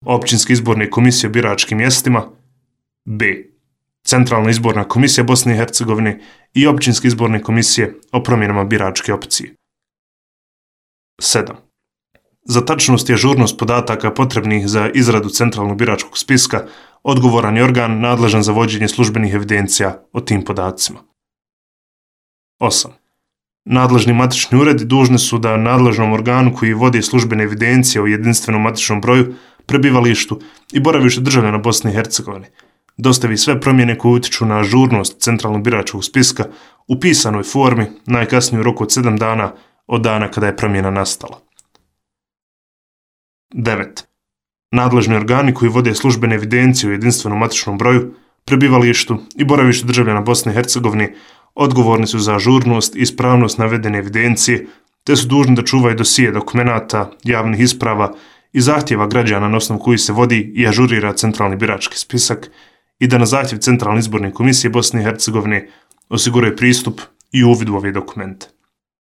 Općinske izborne komisije o biračkim mjestima, b. Centralna izborna komisija Bosne i Hercegovine i Općinske izborne komisije o promjenama biračke opcije. 7. Za tačnost i ažurnost podataka potrebnih za izradu centralnog biračkog spiska odgovoran je organ nadležan za vođenje službenih evidencija o tim podacima. 8. Nadležni matični uredi dužni su da nadležnom organu koji vodi službene evidencije o jedinstvenom matičnom broju, prebivalištu i boravištu državljana Bosne i Hercegovine dostavi sve promjene koje utiču na ažurnost centralnog biračkog spiska u pisanoj formi najkasnije u roku od 7 dana od dana kada je promjena nastala. 9. Nadležni organi koji vode službene evidencije o jedinstvenom matičnom broju, prebivalištu i boravištu državljana Bosne i Hercegovine odgovorni su za ažurnost i ispravnost navedene evidencije, te su dužni da čuvaju dosije dokumenata, javnih isprava i zahtjeva građana na osnovu kojih se vodi i ažurira centralni birački spisak i da na zahtjev Centralne izborne komisije Bosne i Hercegovine osiguraju pristup i uvid u ove dokumente.